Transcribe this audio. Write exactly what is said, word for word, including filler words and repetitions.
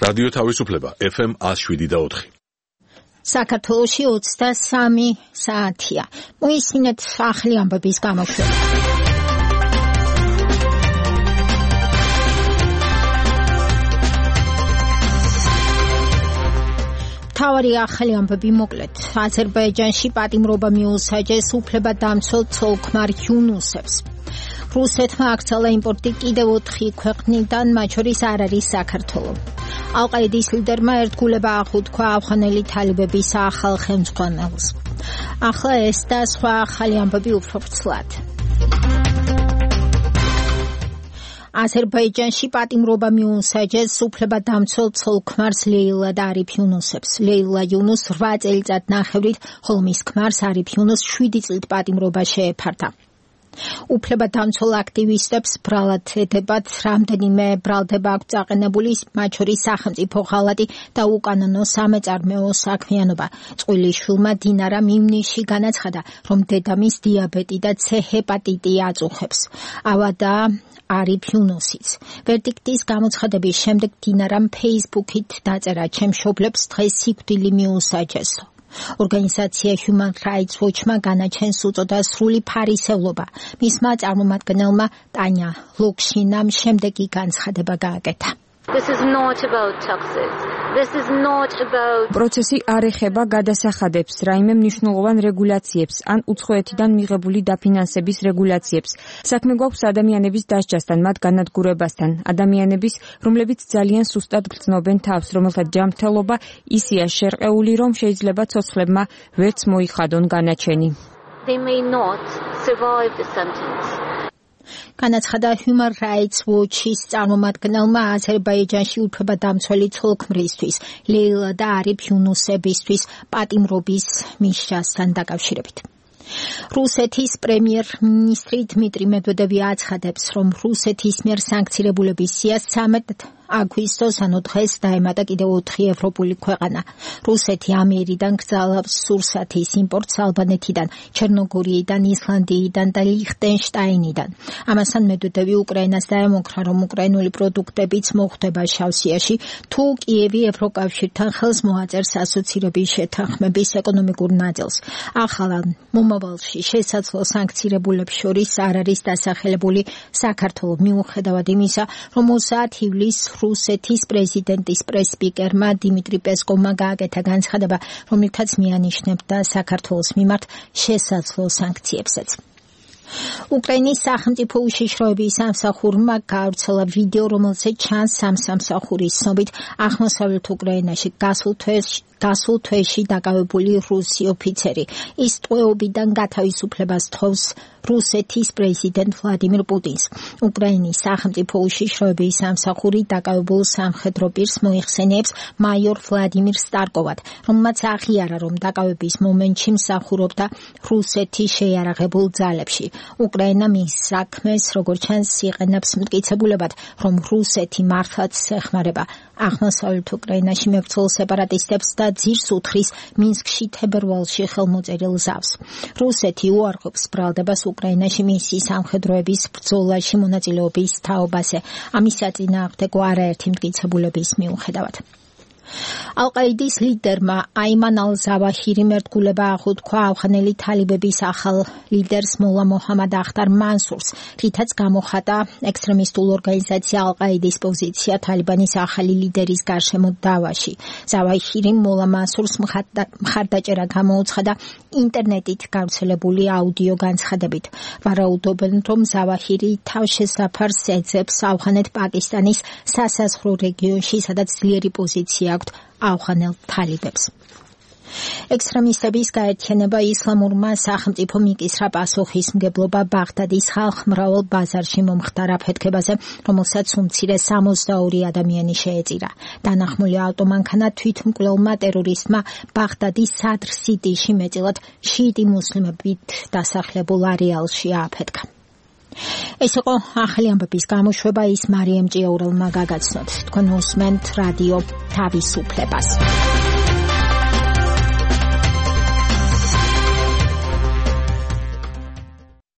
რადიო თავისუფლება ეფ ემ one oh seven და four. საქართველოში ოცდასამი საათია. მოისმინეთ ახალი ამბების გამოშვება. თავარი ახალი ამბები მოკლედ. აზერბაიჯანში პატიმრობა მიუსაჯეს უფლებადამცველ ცოლ-ქმარ იუნუსებს. რუსეთმა აქცია იმპორტი კიდევ ოთხი ქვეყნიდან, მათ შორის არ არის საქართველო. ალ-ყაიდის ლიდერმა ერთგულება აღუთქვა ავღანელი თალიბების ახალ ხელმძღვანელს. ახლა ეს და სხვა ახალი ამბები უფრო ვრცლად. აზერბაიჯანში პატიმრობა მიუსაჯეს უფლებადამცველ ცოლ-ქმარს ლეილა და არიფ იუნუსებს. ლეილა იუნუს რვა წელიწადნახევრით, ხოლო მის ქმარს არიფ იუნუს შვიდი წლით პატიმრობა შეეფარდა. უფლებადამცველ აქტივისტებს ბრალად ედებათ, რამდენიმე ბრალდება აქვთ წაყენებული, მათ შორის სახელმწიფო ღალატი და უკანონო სამეწარმეო საქმიანობა. წყვილიშვილმა დინარამ ივნისში განაცხადა, რომ დედამის დიაბეტი და ცე ჰეპატიტი აწუხებს. ავადა არიფ იუნუსიც. ვერდიქტის გამოცხადების შემდეგ დინარამ ფეისბუქით დაწერა, ჩემ მშობლებს დღეს სიკვდილი მიუსაჯესო. ორგანიზაცია Human Rights Watch-მა განაჩენს უწოდა სრული ფარისევლობა. მისმა წარმომადგენელმა ტანია ლოქშინამ შემდეგი განცხადება გააკეთა. This is not about taxes. This is not about პროცესი არ ეხება გადასახადებს, რაიმე მნიშვნელოვან რეგულაციებს ან უცხოეთიდან მიღებული დაფინანსების რეგულაციებს. საქმე გვაქვს ადამიანების დასჯასთან, მათ განადგურებასთან. ადამიანების, რომლებიც ძალიან სუსტად გრძნობენ თავს, რომელთა ჯანმრთელობა ისეა შერყეული, რომ შეიძლება ცოცხლებმა ვერც მოიხადონ განაჩენი. They may not survive the sentence. განაცხადა Human Rights Watch-ის წარმომადგენელმა აზერბაიჯანში უფლებადამცველი ცოლ-ქმრისთვის, ლეილა და არიფ იუნუსებისთვის პატიმრობის მისჯასთან დაკავშირებით. რუსეთის პრემიერ-მინისტრი დმიტრი მედვედევი აცხადებს, რომ რუსეთის მიერ სანქცირებულების სია ცამეტ აგვისტოს, ანუ დღეს დაემატა კიდევ ოთხი ევროპული ქვეყანა. რუსეთი ამიერიდან გრძელავს სურსათის იმპორტს ალბანეთიდან, ჩერნოგორიიდან, ისლანდიიდან და ლიხტენშტაინიდან. ამასთან მედვედევი უკრაინას დაემუქრა, რომ უკრაინული პროდუქტებიც მოხვდება შავსიაში, თუ კიევი ევროკავშირთან ხელს მოაწერს ასოცირების შეთანხმების ეკონომიკურ ნაწილს. ახლა მომავალში შესაძლო სანქცირებულებს შორის არ არის დასახელებული საქართველო, მიუხედავად იმისა, რომ ოცდაათ ივლისს რუსეთის პრეზიდენტის პრეს-სპიკერმა დიმიტრი პესკოვმა გააკეთა განცხადება, რომლითაც მიანიშნებდა საქართველოს მიმართ შესაძლო სანქციებსაც. უკრაინის სახელმწიფო უშიშროების სამსახურმა გაავრცელა ვიდეო, რომელზეც ჩანს სამ სამსახურის ცნობით აღმოსავლეთ უკრაინაში გასულ თვეში გასულ თვეში დაკავებული რუსი ოფიცერი. ის ტყვეობიდან გათავისუფლებას თხოვს რუსეთის პრეზიდენტ ვლადიმირ პუტინს. უკრაინის სახელმწიფო უშიშროების სამსახური დაკავებულ სამხედრო პირს მოიხსენიებს მაიორ ვლადიმირ სტარკოვად, რომელმაც აღიარა, რომ დაკავების მომენტში მსახურობდა რუსეთის შეიარაღებულ ძალებში. უკრაინა მის საქმეს, როგორც ჩანს, იყენებს მტკიცებულებად, რომ რუსეთი მართლაც ეხმარება აღმოსავლეთ უკრაინაში მებრძოლ სეპარატისტებს და ძირს უთხრის მინსკში თებერვალში ხელმოწერილ ზავს. რუსეთი უარყოფს ბრალდებას უკრაინაში მისი სამხედროების ბრძოლაში მონაწილეობის თაობაზე. ამის საწინააღმდეგო არაერთი მტკიცებულების მიუხედავად. ალ-ყაიდის ლიდერმა აიმან ალ-ზავაჰირიმ ერთგულება აღუთქვა ავღანელი თალიბების ახალ ლიდერს მოლა მოჰამად ახტარ მანსურს, რითაც გამოხატა ექსტრემისტულ ორგანიზაცია ალ-ყაიდის პოზიცია თალიბანის ახალი ლიდერის გარშემო დავაში. ზავაჰირიმ მოლა მანსურს მხარდაჭერა გამოუცხადა ინტერნეტით გავრცელებული აუდიო განცხადებით. ვარაუდობენ, რომ ზავაჰირი თავშესაფარს ეძებს ავღანეთ პაკისტანის სასაზღვრო რეგიონში, სადაც ძლიერი პოზიცია აქვთ ავღანელ თალიბებს. ექსტრემისტების გაერთიანება ისლამურმა სახელმწიფო მიკისრა პასუხისმგებლობა ბაღდადის ხალხმრავალ ბაზარში მომხდარ აფეთქებაზე, რომელსაც უმცირე სამოცდაორი ადამიანი შეეწირა. დანახმული ავტომანქანა თვითმკვლელმა ტერორისტმა ბაღდადის სადრ სიტიში მეტილად შიიტი მუსლიმებით დასახლებულ არეალში ააფეთქა. ეს იყო ახალი ამბების გამოშვება, ის მარიამ ჭიაურელმა გაგაცნოთ. თქვენ უსმენთ რადიო თავისუფლებას.